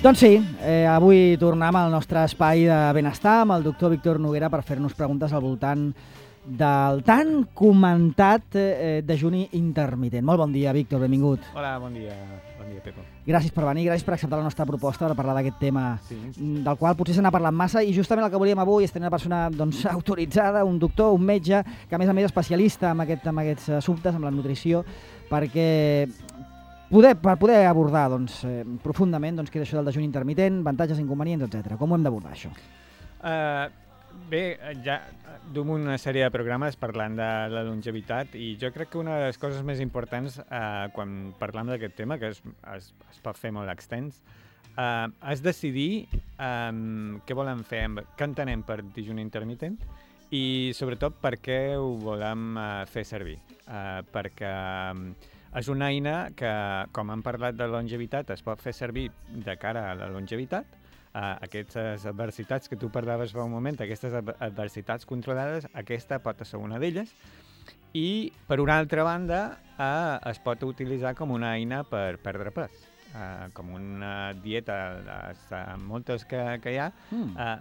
Doncs sí, avui tornem al nostre espai de benestar amb el doctor Víctor Noguera per fer-nos preguntes al voltant del tan comentat dejuni intermitent. Molt bon dia, Víctor, benvingut. Hola, bon dia Pepo. Gràcies per venir, gràcies per acceptar la nostra proposta per parlar d'aquest tema, del qual potser se n'ha parlat massa, i justament el que volíem avui és tenir una persona autoritzada, un doctor, un metge, que a més especialista en aquests assumptes, amb la nutrició, perquè per poder abordar profundament què és això del dejuni intermitent, avantatges, inconvenients, etc. Com ho hem d'abordar, això? Bé, ja duem una sèrie de programes parlant de la longevitat, i jo crec que una de les coses més importants quan parlem d'aquest tema, que es pot fer molt extens, és decidir què volem fer, què entenem per dejuni intermitent i sobretot per què ho volem fer servir. Perquè és una eina que, com hem parlat de longevitat, es pot fer servir de cara a la longevitat. Aquestes adversitats que tu parlaves fa un moment, aquestes adversitats controlades, aquesta pot ser una d'elles. I, per una altra banda, es pot utilitzar com una eina per perdre pes. Com una dieta, moltes que hi ha,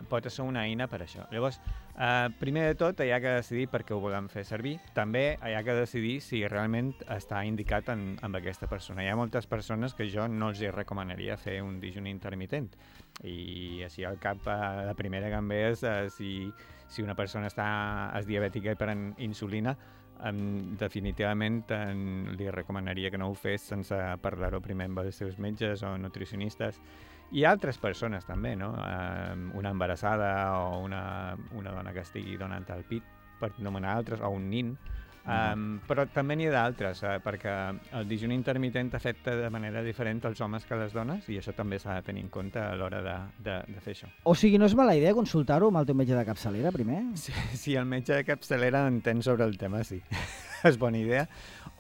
pot ser una eina per això. Llavors, primer de tot, hi ha que decidir per què ho volem fer servir. També hi ha que decidir si realment està indicat amb aquesta persona. Hi ha moltes persones que jo no els recomanaria fer un dejuni intermitent. I així al cap, la primera que em ve és si una persona és diabètica i pren insulina, definitivament li recomanaria que no ho fes sense parlar-ho primer amb els seus metges o nutricionistes i altres persones també, no? Una embarassada o una dona que estigui donant el pit, per nomenar altres, o un nin. Però també n'hi ha d'altres, perquè el dejuni intermitent afecta de manera diferent als homes que a les dones, i això també s'ha de tenir en compte a l'hora de fer això. O sigui, no és mala idea consultar-ho amb el teu metge de capçalera primer? Si el metge de capçalera entén sobre el tema, sí. És bona idea.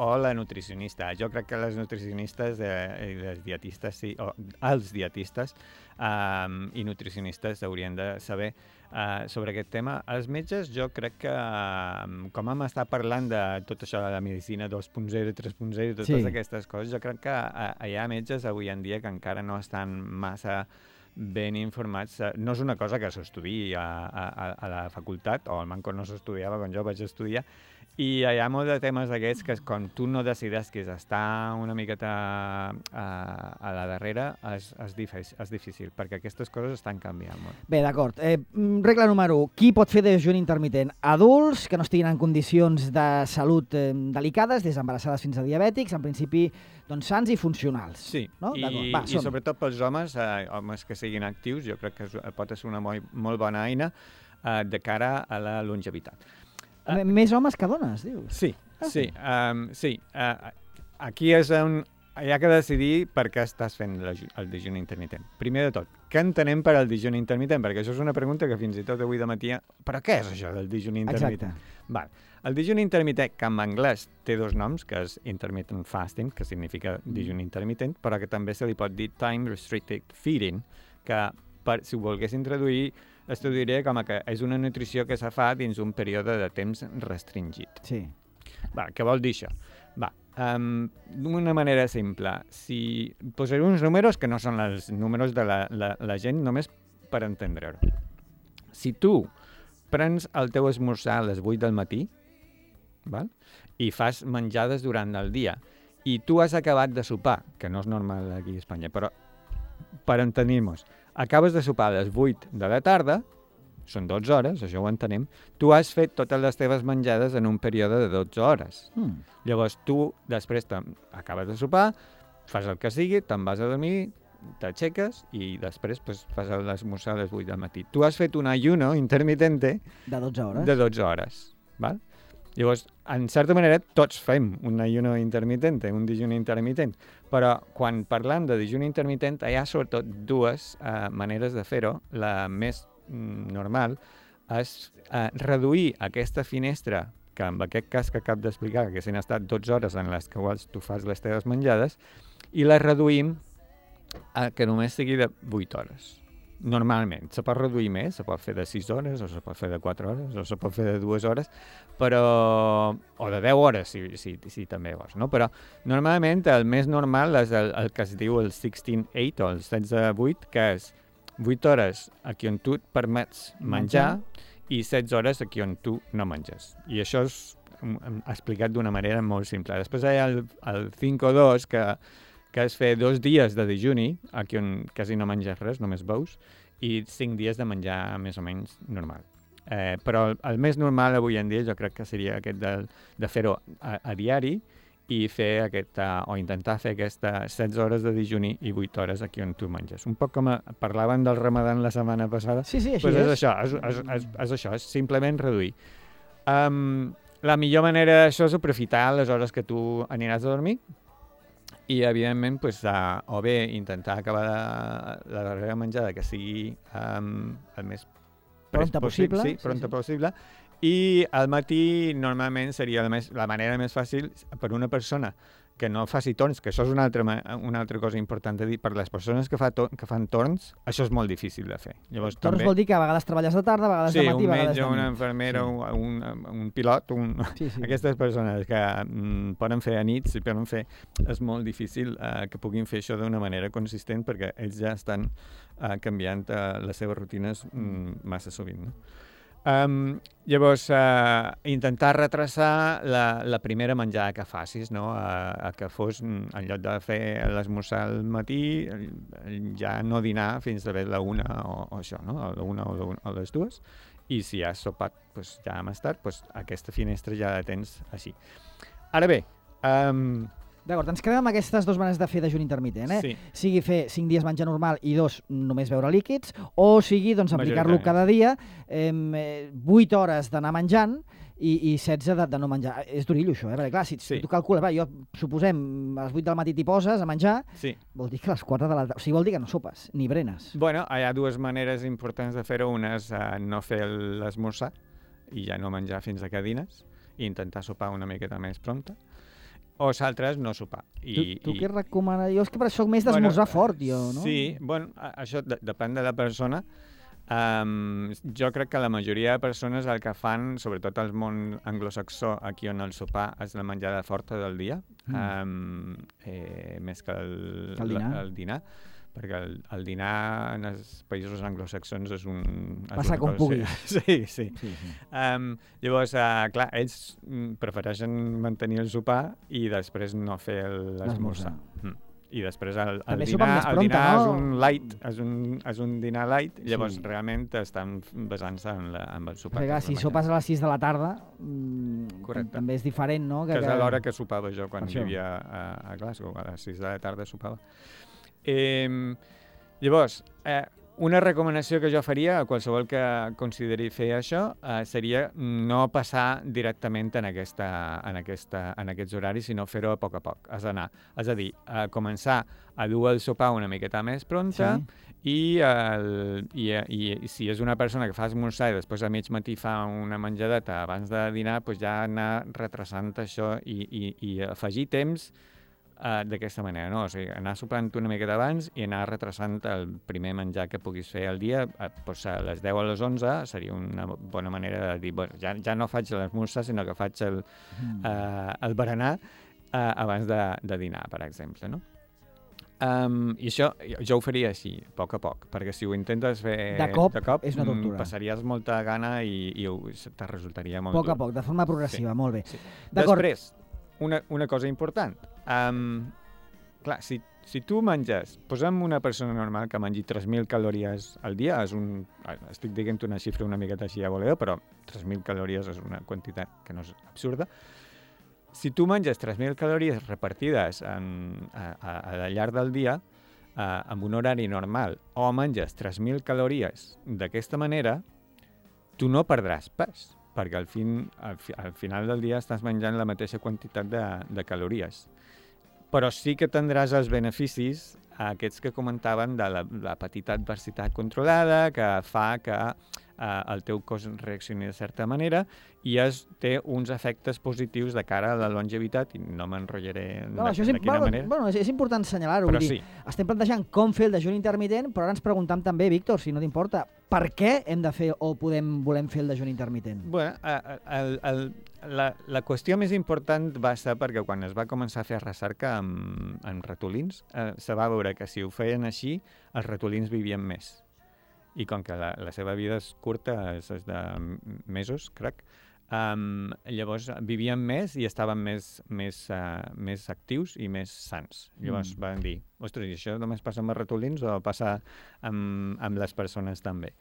O la nutricionista. Jo crec que les nutricionistes i les dietistes, sí, o els dietistes i nutricionistes haurien de saber sobre aquest tema. Els metges, jo crec que, com hem estat parlant de tot això de la medicina 2.0, 3.0 i totes aquestes coses, jo crec que hi ha metges avui en dia que encara no estan massa ben informats. No és una cosa que s'estudiï a la facultat, o al manco no s'estudiava quan jo vaig estudiar, i hi ha molts de temes d'aquests que quan tu no decides que està una miqueta a la darrere és difícil, perquè aquestes coses estan canviant molt. Bé, d'acord. Regla número 1. Qui pot fer dejuni intermitent? Adults que no estiguin en condicions de salut delicades, des d'embarassades fins a diabètics, en principi sants i funcionals. Sí, no? I sobretot pels homes, homes que siguin actius, jo crec que pot ser una molt bona eina de cara a la longevitat. Més homes que dones, dius? Sí. Aquí és on hi ha que decidir per què estàs fent el dejuni intermitent. Primer de tot, què entenem per al dejuni intermitent? Perquè això és una pregunta que fins i tot avui de matí... Però què és això del dejuni intermitent? Exacte. El dejuni intermitent, que en anglès té dos noms, que és intermittent fasting, que significa dejuni intermitent, però que també se li pot dir time restricted feeding, que si ho volguessin traduir, es traduiria com que és una nutrició que se fa dins un període de temps restringit. Sí. Què vol dir això? D'una manera simple, si posaré uns números que no són els números de la gent, només per entendre-ho. Si tu prens el teu esmorzar a les 8 del matí, i fas menjades durant el dia, i tu has acabat de sopar, que no és normal aquí a Espanya, però per entenir-nos, acabes de sopar a les 8 de la tarda, són 12 hores, això ho entenem, tu has fet totes les teves menjades en un període de 12 hores. Llavors tu després acabes de sopar, fas el que sigui, te'n vas a dormir, t'aixeques i després fas l'esmorzar a les 8 del matí. Tu has fet un ayuno intermitente de 12 hores. De 12 hores, val? Llavors, en certa manera, tots fem un ayuno intermitente, un dejuni intermitent, però quan parlem de dejuni intermitent hi ha sobretot dues maneres de fer-ho. La més normal és reduir aquesta finestra, que en aquest cas que acabo d'explicar, que s'han estat 12 hores en les quals tu fas les teves menjades, i la reduïm que només sigui de 8 hores. normalment. Se pot reduir més, se pot fer de 6 hores, o se pot fer de 4 hores, o se pot fer de 2 hores, però... o de 10 hores, si també vols, no? Però normalment el més normal és el que es diu el 16-8 o el 16-8, que és 8 hores aquí on tu et permets menjar i 16 hores aquí on tu no menges. I això és explicat d'una manera molt simple. Després hi ha el 5-2, que és fer 2 dies de dejuni, aquí on quasi no menges res, només beus, i 5 dies de menjar més o menys normal. Però el més normal avui en dia jo crec que seria aquest de fer-ho a diari i fer o intentar fer aquestes 16 hores de dejuni i 8 hores aquí on tu menges. Un poc com parlaven del Ramadan la setmana passada. Sí, així pues és això, és això, és simplement reduir. La millor manera d'això és aprofitar les hores que tu aniràs a dormir i, evidentment, pues, o bé intentar acabar la darrera menjada que sigui el més pronta possible. Sí, pronta possible. I al matí normalment seria la manera més fàcil per una persona que no faci torns, que això és una altra cosa important de dir. Per les persones que fan torns, això és molt difícil de fer. Llavors, torns també... vol dir que a vegades treballes de tarda, a vegades de matí, a vegades de nit. Sí, un metge, una infermera, un pilot, aquestes persones que poden fer a nit, si poden fer, és molt difícil que puguin fer això d'una manera consistent perquè ells ja estan canviant les seves rutines massa sovint, no? Llavors, intentar retrasar la primera menjada que facis, no? Que fos, en lloc de fer l'esmorzar al matí, ja no dinar fins a la 1 o això, no? A la 1 o les 2, i si has sopat pues, ja més tard, pues, aquesta finestra ja la tens així. Ara bé... D'acord, ens quedem amb aquestes 2 maneres de fer dejuni intermitent, Sí. Sigui fer 5 dies menjar normal i 2 només beure líquids, o sigui, doncs, aplicar-lo cada dia, 8 hores d'anar menjant i 16 de no menjar. És durillo, això, perquè clar, si tu calcules, jo suposem, a les 8 del matí t'hi poses a menjar, vol dir que a les 4 de la tarda... O sigui, vol dir que no sopes, ni berenes. Bueno, hi ha 2 maneres importants de fer-ho. Una és no fer l'esmorzar i ja no menjar fins que dines, i intentar sopar una miqueta més pronta. O s'altres no sopar. Tu què recomanes? Jo és que per això soc més d'esmorzar fort, jo, no? Sí, bueno, això depèn de la persona. Jo crec que la majoria de persones el que fan, sobretot al món anglosaxó, aquí on el sopar és la menjada forta del dia, més que el dinar. Perquè el dinar en els països anglosaxons és un... Passa com pugui. Sí. Llavors, clar, ells prefereixen mantenir el sopar i després no fer l'esmorzar. I després el dinar és un light, és un dinar light, llavors realment estan basant-se en el sopar. Perquè si sopes a les 6 de la tarda, també és diferent, no? Que és a l'hora que sopava jo quan vivia a Glasgow, a les 6 de la tarda sopava. Llavors, una recomanació que jo faria a qualsevol que consideri fer això seria no passar directament en aquests horaris, sinó fer-ho a poc a poc. És a dir, començar a dur el sopar una miqueta més pronta i si és una persona que fa esmorzar i després a mig matí fa una menjadeta abans de dinar, doncs ja anar retrasant això i afegir temps d'aquesta manera, no? O sigui, anar sopant una miqueta abans i anar retrasant el primer menjar que puguis fer al dia, doncs a les 10 o a les 11 seria una bona manera de dir, bueno, ja no faig l'esmorzar, sinó que faig el berenar abans de dinar, per exemple, no? I això jo ho faria així, a poc, perquè si ho intentes fer de cop és una tortura. Passaries molta gana i te resultaria molt dur. A poc, de forma progressiva, molt bé. Després, una cosa important. Clar, si tu menges, posem una persona normal que mengi 3.000 calories al dia, estic dient una xifra una miqueta així a voleo, però 3.000 calories és una quantitat que no és absurda. Si tu menges 3.000 calories repartides al llarg del dia, amb un horari normal, o menges 3.000 calories d'aquesta manera, tu no perdràs pes, perquè al final del dia estàs menjant la mateixa quantitat de calories. Però sí que tindràs els beneficis aquests que comentaven de la petita adversitat controlada, que fa que el teu cos reaccioni de certa manera i té uns efectes positius de cara a la longevitat, i no m'enrotllaré de quina manera. Bueno, és important assenyalar-ho. Però sí. Estem plantejant com fer el dejuni intermitent, però ara ens preguntam també, Víctor, si no t'importa, per què hem de fer o volem fer el dejuni intermitent? Bueno, la qüestió més important va ser perquè quan es va començar a fer recerca amb ratolins, se va veure que si ho feien així, els ratolins vivien més. I com que la seva vida és curta, és de mesos, crec, llavors vivien més i estaven més actius i més sants. Llavors van dir, ostres, i això només passa amb els ratolins o passa amb les persones també?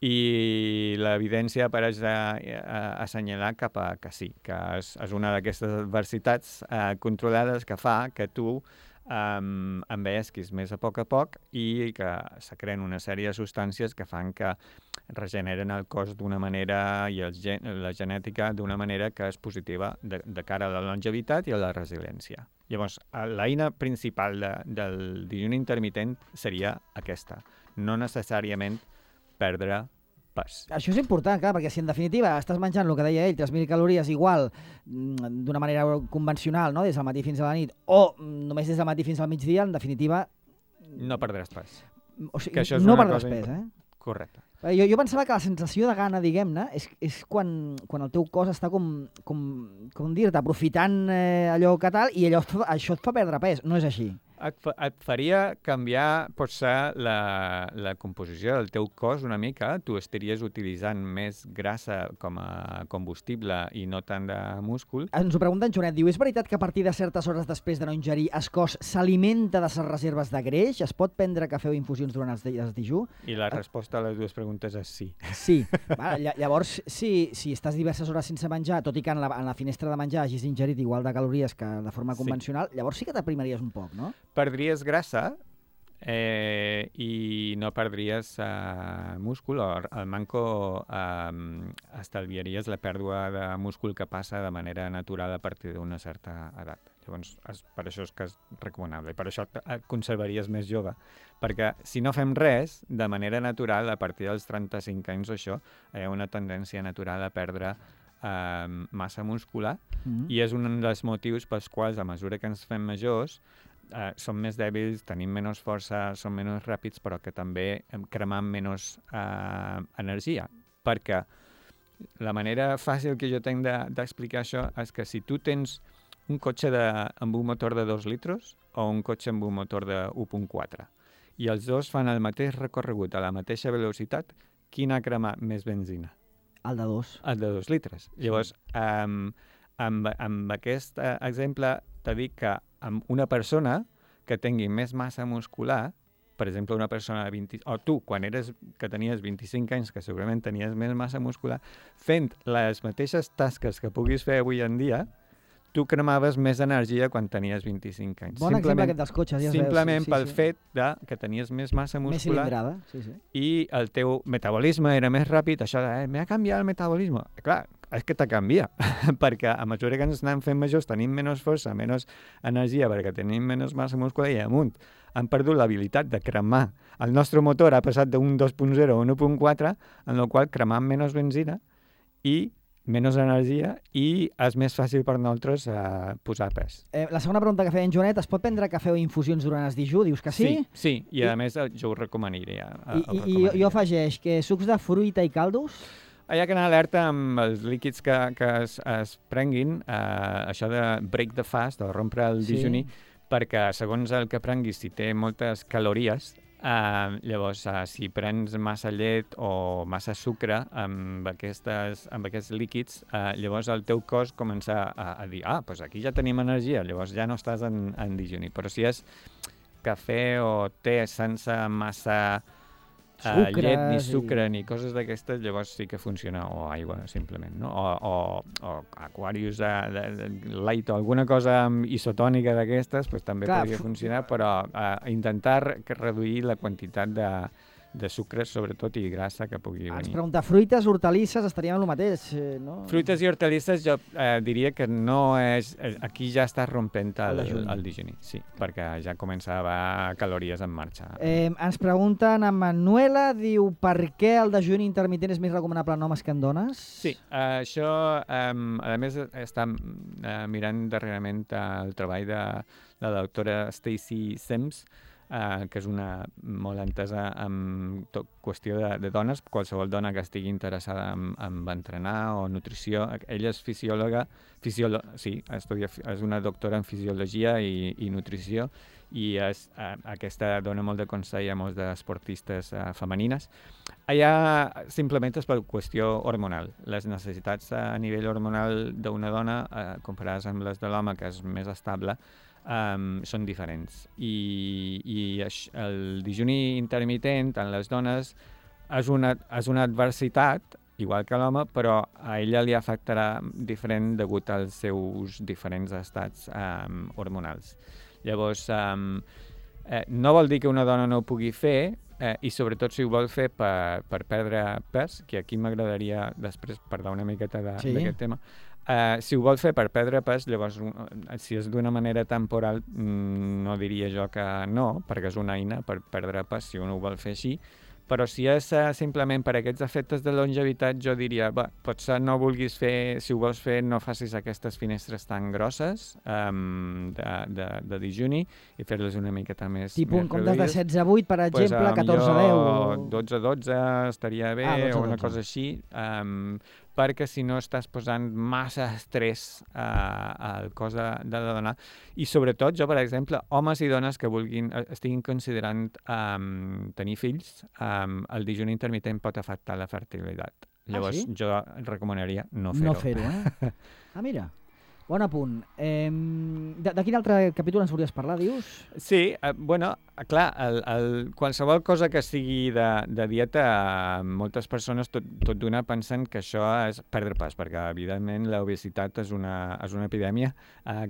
I l'evidència pareix assenyalar cap a que sí, que és una d'aquestes adversitats controlades que fa que tu envellesquis més a poc i que se creen una sèrie de substàncies que fan que regeneren el cos d'una manera i la genètica d'una manera que és positiva de cara a la longevitat i a la resiliència. Llavors, l'eina principal del dejuni intermitent seria aquesta, no necessàriament perdre pes. Això és important, clar, perquè si en definitiva estàs menjant el que deia ell, 3.000 calories igual d'una manera convencional, no? Des del matí fins a la nit, o només des del matí fins al migdia, en definitiva... No perdràs pes. O sigui, no perdràs pes, Correcte. Jo pensava que la sensació de gana, diguem-ne, és quan el teu cos està com dir-te, aprofitant allò que tal, i això et fa perdre pes. No és així. Et faria canviar, potser, la composició del teu cos una mica. Tu estaries utilitzant més grassa com a combustible i no tant de múscul. Ens ho pregunta en Joanet, diu, és veritat que a partir de certes hores després de no ingerir el cos s'alimenta de les reserves de greix? Es pot prendre cafè o infusions durant els dijú? I la resposta a les dues preguntes és sí. Sí. Llavors, si estàs diverses hores sense menjar, tot i que en la finestra de menjar hagis ingerit igual de calories que de forma convencional, llavors sí que t'aprimaries un poc, no? Perdries grassa i no perdries múscul, o al manco estalviaries la pèrdua de múscul que passa de manera natural a partir d'una certa edat. Llavors, per això és que és recomanable, i per això et conservaries més jove, perquè si no fem res, de manera natural, a partir dels 35 anys o això, hi ha una tendència natural a perdre massa muscular, i és un dels motius pels quals, a mesura que ens fem majors, som més dèbils, tenim menys força, som menys ràpids, però que també cremam menys energia. Perquè la manera fàcil que jo tinc d'explicar això és que si tu tens un cotxe amb un motor de 2 litres o un cotxe amb un motor de 1.4 i els dos fan el mateix recorregut a la mateixa velocitat, quin ha cremat més benzina? El de 2. El de 2 litres. Llavors, amb aquest exemple t'he dit que amb una persona que tingui més massa muscular, per exemple, una persona de 20... o tu, que tenies 25 anys, que segurament tenies més massa muscular, fent les mateixes tasques que puguis fer avui en dia, tu cremaves més energia quan tenies 25 anys. Bon exemple aquest dels cotxes, ja es veu. Simplement pel fet que tenies més massa muscular. Més cilindrada, sí. I el teu metabolisme era més ràpid, això de, m'ha canviat el metabolisme. Clar, és que te canvia, perquè a mesura que ens anem fent majors tenim menys força, menys energia, perquè tenim menys massa muscular i amunt. Han perdut l'habilitat de cremar. El nostre motor ha passat d'un 2.0 a un 1.4, en el qual cremam menys benzina i menys energia i és més fàcil per nosaltres posar pes. La segona pregunta que feia en Joanet, es pot prendre cafè o infusions durant el dijú? Dius que sí? Sí, i a més jo ho recomanaria. I jo afegeix que sucs de fruita i caldos? Hi ha que anar alerta amb els líquids que es prenguin, això de break the fast, o rompre el dejuni, perquè segons el que prenguis, si té moltes calories, llavors si prens massa llet o massa sucre amb aquests líquids, llavors el teu cos comença a dir, doncs aquí ja tenim energia, llavors ja no estàs en dejuni. Però si és cafè o te sense massa llet, ni sucre, ni coses d'aquestes, llavors sí que funciona, o aigua, simplement, no? O Aquarius de light o alguna cosa isotònica d'aquestes, doncs també podria funcionar, però intentar reduir la quantitat de sucres, sobretot, i grassa que pugui venir. Ens pregunta, fruites, hortalisses, estaríem en el mateix, no? Fruites i hortalisses jo diria que no és... Aquí ja estàs rompent el dijuni, sí, perquè ja començava calories en marxa. Ens pregunten, a Manuela, diu, per què el dejuni intermitent és més recomanable en homes que en dones? Sí, això, a més, està mirant darrerament el treball de la doctora Stacey Sims, que és una molt entesa en qüestió de dones, qualsevol dona que estigui interessada en entrenar o nutrició. Ella és fisiòloga, és una doctora en fisiologia i nutrició, i aquesta dona molt de consell a molts d'esportistes femenines. Allà simplement és per qüestió hormonal. Les necessitats a nivell hormonal d'una dona, comparades amb les de l'home, que és més estable, són diferents. I el dijuni intermitent en les dones és una adversitat, igual que l'home, però a ella li afectarà diferent degut als seus diferents estats hormonals. Llavors, no vol dir que una dona no ho pugui fer, i sobretot si ho vol fer per perdre pes, que aquí m'agradaria després parlar una miqueta d'aquest tema. Si ho vol fer per perdre pes, llavors, si és d'una manera temporal, no diria jo que no, perquè és una eina per perdre pes, si un ho vol fer així. Però si és simplement per aquests efectes de longevitat, jo diria, potser no vulguis fer, si ho vols fer, no facis aquestes finestres tan grosses de dijuni i fer-les una miqueta més Tipo en comptes de reduïdes. 16-8, per exemple, 14-10. 12-12 estaria bé, 12-12. o una cosa així, perquè si no estàs posant massa estrès al cos de la dona. I sobretot, jo, per exemple, homes i dones que estiguin considerant tenir fills, el dijuni intermitent pot afectar la fertilitat. Llavors, jo recomanaria no fer-ho. No fer-ho, mira. Bon apunt. De quin altre capítol ens volies parlar, dius? Sí, clar, qualsevol cosa que sigui de dieta, moltes persones tot d'una pensen que això és perdre pes, perquè evidentment l'obesitat és una epidèmia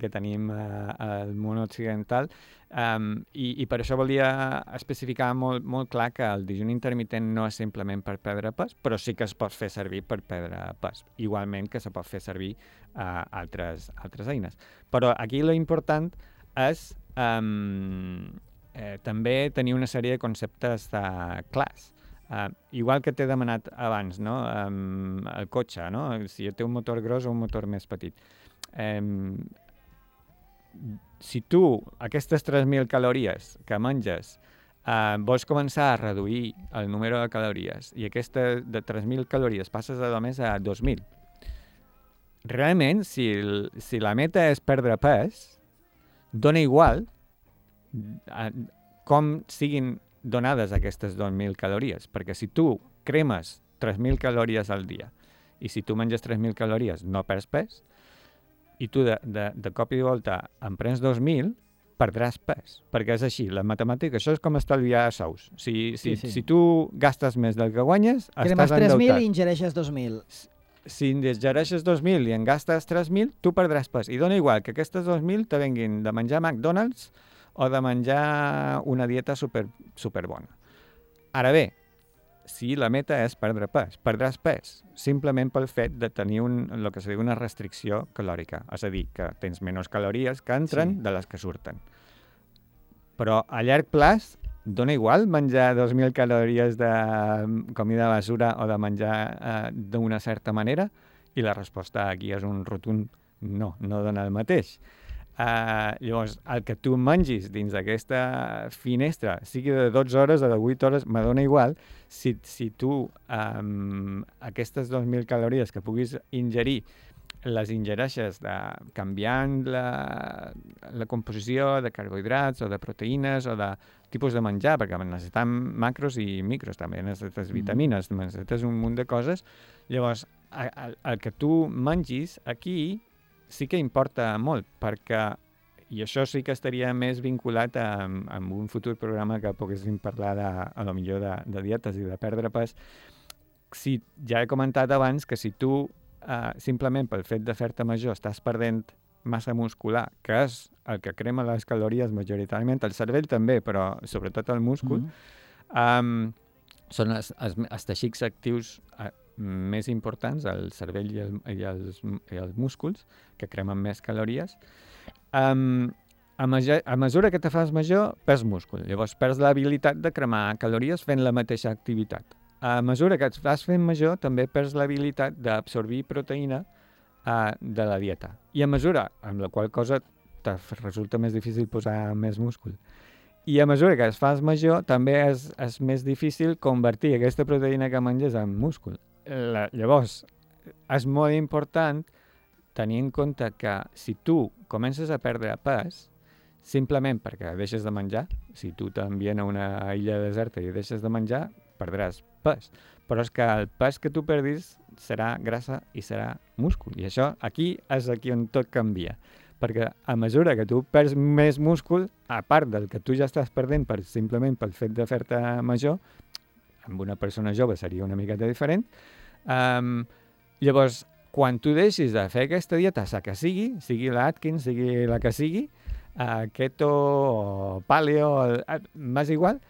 que tenim al món occidental, i per això volia especificar molt clar que el dijuni intermitent no és simplement per perdre pes, però sí que es pot fer servir per perdre pes, igualment que se pot fer servir altres eines. Però aquí l'important és també tenir una sèrie de conceptes clars. Igual que t'he demanat abans, no? El cotxe, no? Si té un motor gros o un motor més petit. Si tu, aquestes 3.000 calories que menges, vols començar a reduir el número de calories i aquesta de 3.000 calories passes a només a 2.000, realment, si la meta és perdre pes, dona igual com siguin donades aquestes 2.000 calories, perquè si tu cremes 3.000 calories al dia i si tu menges 3.000 calories no perds pes, i tu de cop i volta en prens 2.000, perdràs pes, perquè és així, la matemàtica, això és com estalviar sous. Si tu gastes més del que guanyes, estàs endeutat. Cremes 3.000 i ingereixes 2.000. Si ingereixes 2.000 i en gastes 3.000, tu perdràs pes. I dona igual que aquestes 2.000 te venguin de menjar McDonald's o de menjar una dieta super bona. Ara bé, si la meta és perdre pes, perdràs pes simplement pel fet de tenir el que se diu una restricció calòrica, és a dir, que tens menys calories que entren de les que surten. Però a llarg plaç dona igual menjar 2.000 calories de comida basura o de menjar d'una certa manera? I la resposta aquí és un rotund no dona el mateix. Llavors, el que tu mengis dins d'aquesta finestra, sigui de 12 hores o de 8 hores, me dona igual. Si tu aquestes 2.000 calories que puguis ingerir les ingereixes canviant la composició de carbohidrats o de proteïnes o de tipus de menjar, perquè necessitem macros i micros, també necessites vitamines, necessites un munt de coses. Llavors, el que tu mengis aquí sí que importa molt, perquè, i això sí que estaria més vinculat amb un futur programa que poguéssim parlar a lo millor de dietes i de perdre pes. Ja he comentat abans que si tu simplement pel fet de fer-te major estàs perdent massa muscular, que és el que crema les calories majoritàriament, el cervell també, però sobretot el múscul, són els teixits actius més importants, el cervell i els músculs, que cremen més calories. A mesura que te fas major, perds múscul. Llavors perds l'habilitat de cremar calories fent la mateixa activitat. A mesura que et vas fent major, també perds l'habilitat d'absorbir proteïna de la dieta. I a mesura, amb la qual cosa te resulta més difícil posar més múscul. I a mesura que es fas major, també és més difícil convertir aquesta proteïna que menges en múscul. Llavors, és molt important tenir en compte que si tu comences a perdre pes, simplement perquè deixes de menjar, si tu t'envien a una illa deserta i deixes de menjar, perdràs pes. Però és que el pes que tu perdis serà grassa i serà múscul. I això aquí és aquí on tot canvia. Perquè a mesura que tu perds més múscul, a part del que tu ja estàs perdent simplement pel fet de fer-te major, amb una persona jove seria una miqueta diferent, llavors, quan tu deixis de fer aquesta dieta, la que sigui l'Atkins, sigui la que sigui, keto o paleo, m'és igual,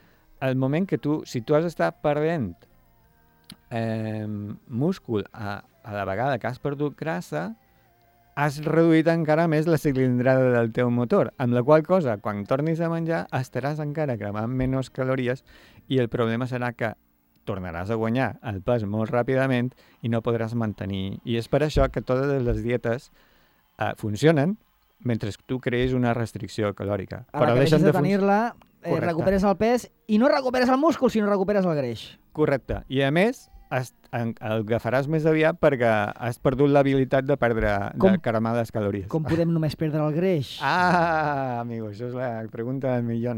el moment que si tu has estat perdent múscul a la vegada que has perdut grassa, has reduït encara més la cilindrada del teu motor, amb la qual cosa, quan tornis a menjar, estaràs encara cremant menys calories i el problema serà que tornaràs a guanyar el pes molt ràpidament i no podràs mantenir. I és per això que totes les dietes funcionen mentre tu crees una restricció calòrica. A la que deixes de tenir-la, recuperes el pes i no recuperes el múscul, sinó recuperes el greix. Correcte. I a més, el agafaràs més aviat perquè has perdut l'habilitat de cremar les calories. Com podem només perdre el greix? Amigo, això és la pregunta del milió.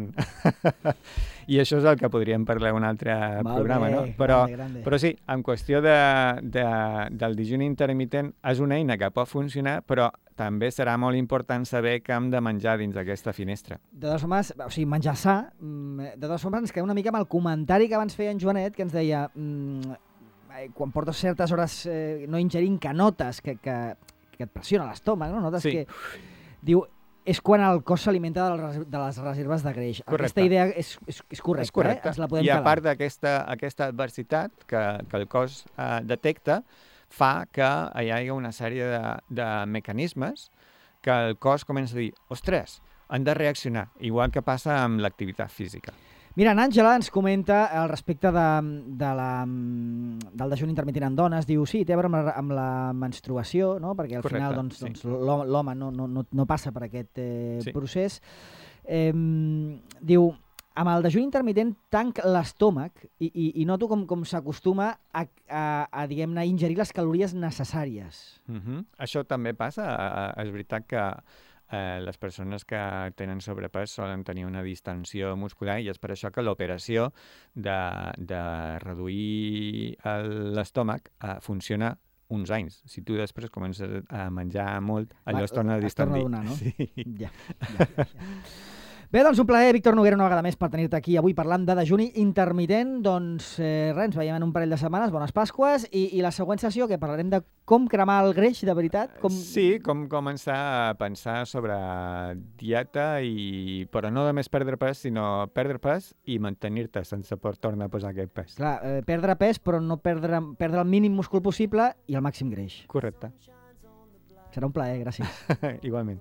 I això és el que podríem parlar un altre programa, no? Però sí, en qüestió del dejuni intermitent és una eina que pot funcionar, però també serà molt important saber què hem de menjar dins d'aquesta finestra. De totes formes, o sigui, menjar sa, de totes formes ens quedem una mica amb el comentari que abans feia en Joanet, que ens deia quan portes certes hores no ingerint, que notes que et pressiona l'estómac, no? Notes que... Diu, és quan el cos s'alimenta de les reserves de greix. Correcte. Aquesta idea és correcta. És correcte. Ens la podem I a calar. part d'aquesta adversitat que el cos detecta, fa que hi hagi una sèrie de mecanismes que el cos comença a dir, ostres, han de reaccionar, igual que passa amb l'activitat física. Mira, Àngela ens comenta al respecte del dejuni intermitent en dones. Diu, sí, té a veure amb la menstruació, no? Perquè al final l'home no passa per aquest procés. Diu, amb el dejuni intermitent tanc l'estómac i noto com s'acostuma a diguem-ne, ingerir les calories necessàries. Això també passa. És veritat que les persones que tenen sobrepès solen tenir una distensió muscular i és per això que l'operació de reduir l'estómac funciona uns anys. Si tu després comences a menjar molt, allò es torna a distendir. Es torna a donar, no? Sí. Ja. Bé, doncs un plaer, Víctor Noguera, una vegada més per tenir-te aquí avui parlant de dejuni intermitent. Doncs res, ens veiem en un parell de setmanes, bones Pasques, i la següent sessió que parlarem de com cremar el greix de veritat. Sí, com començar a pensar sobre dieta, però no només perdre pes, sinó perdre pes i mantenir-te sense tornar a posar aquest pes. Clar, perdre pes, però no perdre el mínim múscul possible i el màxim greix. Correcte. Serà un plaer, gràcies. Igualment.